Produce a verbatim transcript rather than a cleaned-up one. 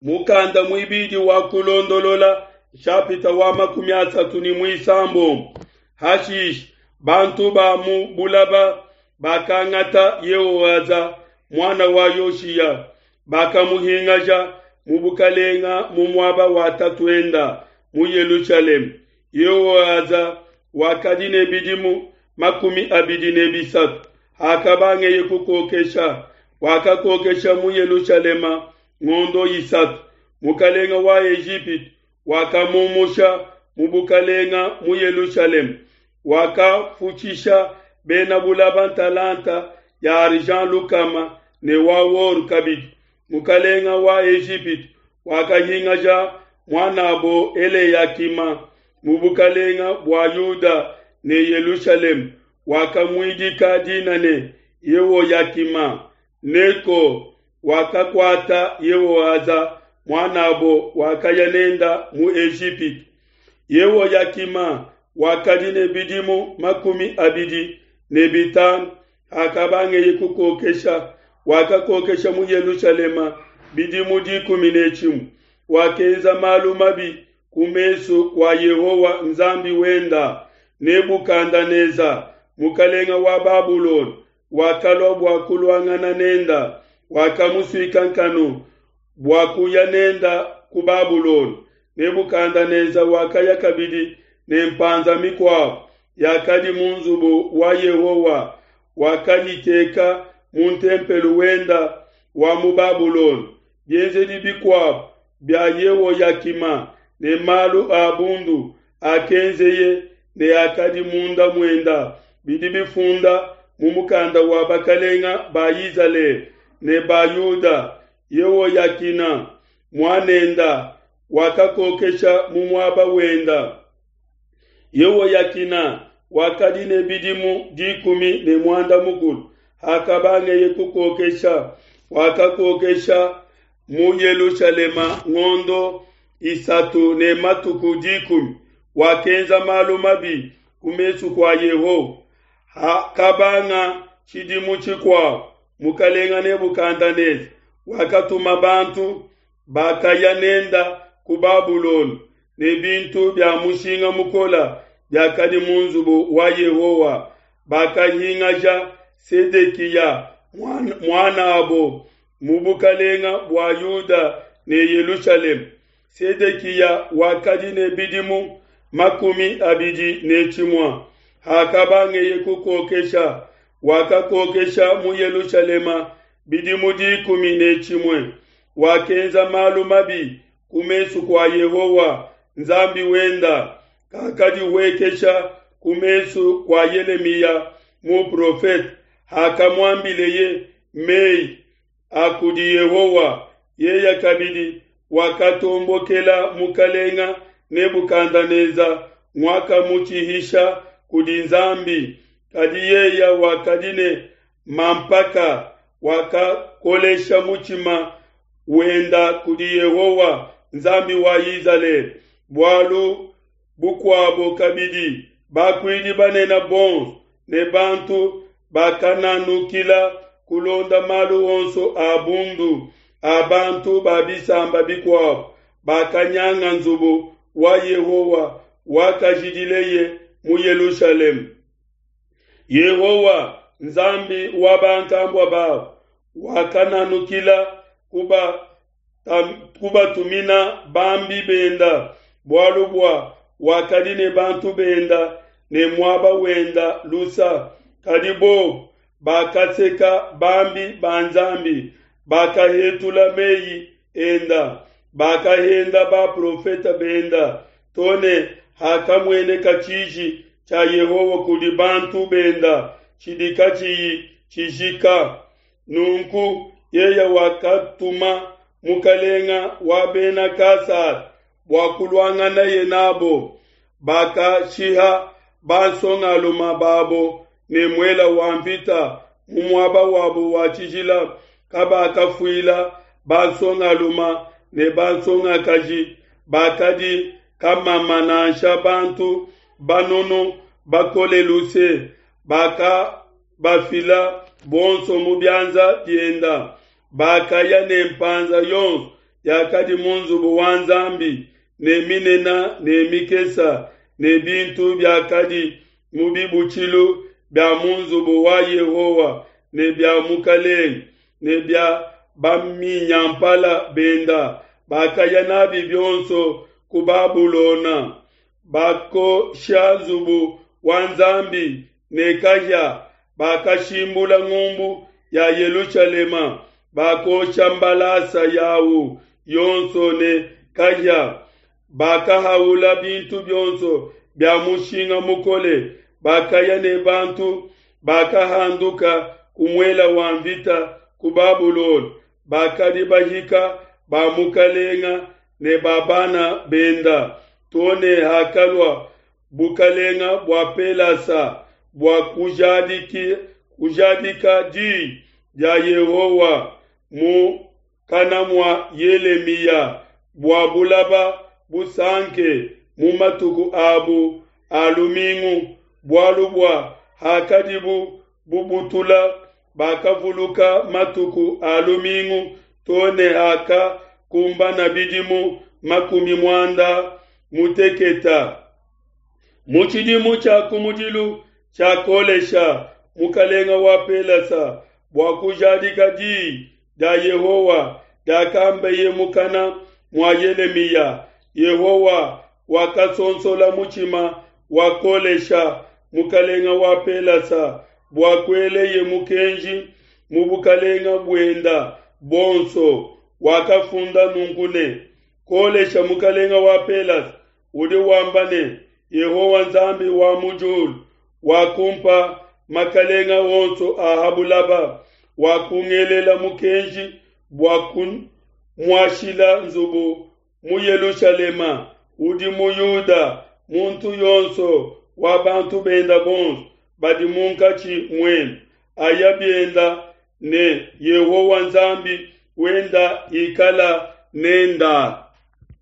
Mukanda muibidi wa Kulondolola nshapita wa makumi asatu ne muisambombo. Hashishe bantu ba mu bulaba bakangata Yehoaza muana wa Yoshiya, bakamuhingaja mu bukalenga mu muaba wa tatuenda mu Yelushalema. Yehoaza wakadi ne bidimu makumi abidi ne bisatu hakabangeye kukokesha, wakakokesha mu Yelushalema ngondo isatu. Mukalenga wa Ejipitu wakamumusha mu bukalenga mu Yelushalema, wakafutshisha bena bulaba ntalanta ya argent lukama ne wa or kabidi. Mukalenga wa Ejipitu wakahingaja muanabo Eleyakima mu bukalenga bua Yuda ne Yelushalema, wakamuidika dina ne Yehoyakima. Neko wakakuata Yehoaza muanabo, wakaya nenda mu Ejipitu. Yehoyakima wakadi ne bidimu makumi abidi ne bitanu hakabangeye kukokesha, wakakokesha mu Yelushalema bidimu dikumi ne tshimue. Wakenza malu mabi ku mesu kua Yehowa Nzambi wenda. Nebukadneza mukalenga wa Babulona wakalua bua kuluangana nenda, wakamusuika nkanu bua kuya nenda ku Babulona. Nebukadneza wakaya kabidi ne mpanza mikuabo yakadi mu nzubu wa Yehowa, wakayiteka mu ntempelo wenda wa mu Babulona. Bienzedi bikuabo bia Yehoyakima ne malu a bundu akenzeye ne akadi munda muenda bidi bifunda mu mukanda wa bakalenga ba Izalele ne ba Yuda. Yehoyakina muanenda wakakokesha mu muaba wenda. Yehoyakina wakadi ne bidimu dikumi ne muanda mukulu hakabangeye kukokesha, wakakokesha mu Yelushalema ngondo isatu ne matuku dikumi. Wakenza malu mabi ku mesu kua Yehowa. Hakabanga tshidimu tshikuabo, mukalenga Nebukadneza wakatuma bantu bakaya nenda ku Babulona ne bintu bia mushinga mukola biakadi mu nzubu wa Yehowa. Bakahingaja Sedekiya muanabo mu bukalenga bua Yuda ne Yelushalema. Sedekiya wakadi ne bidimu makumi abidi ne tshimue hakabangeye kukokesha, wakakokesha mu Yelushalema bidimu dikumi ne tshimue. Wakenza malu mabi ku mesu kua Yehowa Nzambi wenda, kakadihuekesha ku mesu kua Yelemiya muprofete hakamuambileye mei a kudi Yehowa. Yeye kabidi wakatombokela mukalenga Nebukadneza nguakamutshihisha kudi Nzambi. Kadi yeye wakadi ne mampaka, wakakolesha mutshima wenda kudi Yehowa Nzambi wa Izalele. Bualu bukuabo kabidi, bakuidi banene bonso ne bantu bakananukila kulonda malu onso a bundu a bantu ba bisamba bikuabo, bakanyanga nzubu wa Yehowa wakajidileye mu Yelushalema. Yehowa Nzambi wa bankambua babo wakananukila kuba kubatumina bambi benda, bualu bua wakadi ne bantu benda ne muaba wenda lusa. Kadi bobo bakaseka bambi ba Nzambi, bakahetula meyi enda, bakahenda baprofeta benda, to ne hakamueneka tshiji tshia Yehowa kudi bantu benda tshidi katshiyi tshijika. Nunku yeye wakatuma mukalenga wa bena Kasada bua kuluanganaye nabo. Bakashiha bansongaluma babo ne muela wa mvita mu muaba wabo wa tshijila. Kabakafuila bansongaluma ne bansongakaji bakadi kamama nansha bantu banunu bakole luse, bakabafila bonso mu bianza bienda. Bakaya ne mpanza yonso yakadi mu nzubu wa Nzambi, ne minena ne mikesa, ne bintu biakadi mu bibutshilu bia mu nzubu wa Yehowa ne bia mukelenge ne bia baminyampala benda, bakaya nabi bionso ku Babulona. Bakosha nzubu wa Nzambi ne kahia, bakashimbula ngumbu ya Yelushalema, bakosha mbalasa yawu yonso ne kahia, bakahaula bintu bionso bia mushinga mukole, bakaya ne bantu bakahanduka ku muele wa nvita ku Babulona, bakadi bahika ba mukalenga ne ba bana benda, to ne hakalua bukalenga bua Pelasa bua kujadiki kujadika di dia Yehowa mu kana mua Yelemiya bua bulaba busanke mu matuku abu a lumingu, bualu bua hakadibu bubutula bakavuluka matuku a lumingu to ne hakakumbana bidimu makumi muanda muteketa. Mu tshidimu tshia kumudilu tshia Kolesha mukalenga wa Pelasa bua kujadika di dia Yehowa diakambeye mukana mua Yelemiya, Yehowa wakasonsola mutshima wa Kolesha mukalenga wa Pelasa bua kueleye mukenji mu bukalenga buenda bonso. Wakafunda nunku ne, Kolesha mukalenga wa Pelasa udi wamba ne, Yehowa Nzambi wa mu diulu wakumpa makalenga onso a ha bulaba, wakungelela mukenji bua kumuashila nzubu mu Yelushalema udi mu Yuda. Muntu yonso wa bantu benda bonso badi munkatshi muenu aya bienda ne Yehowa Nzambi wenda ikala nenda.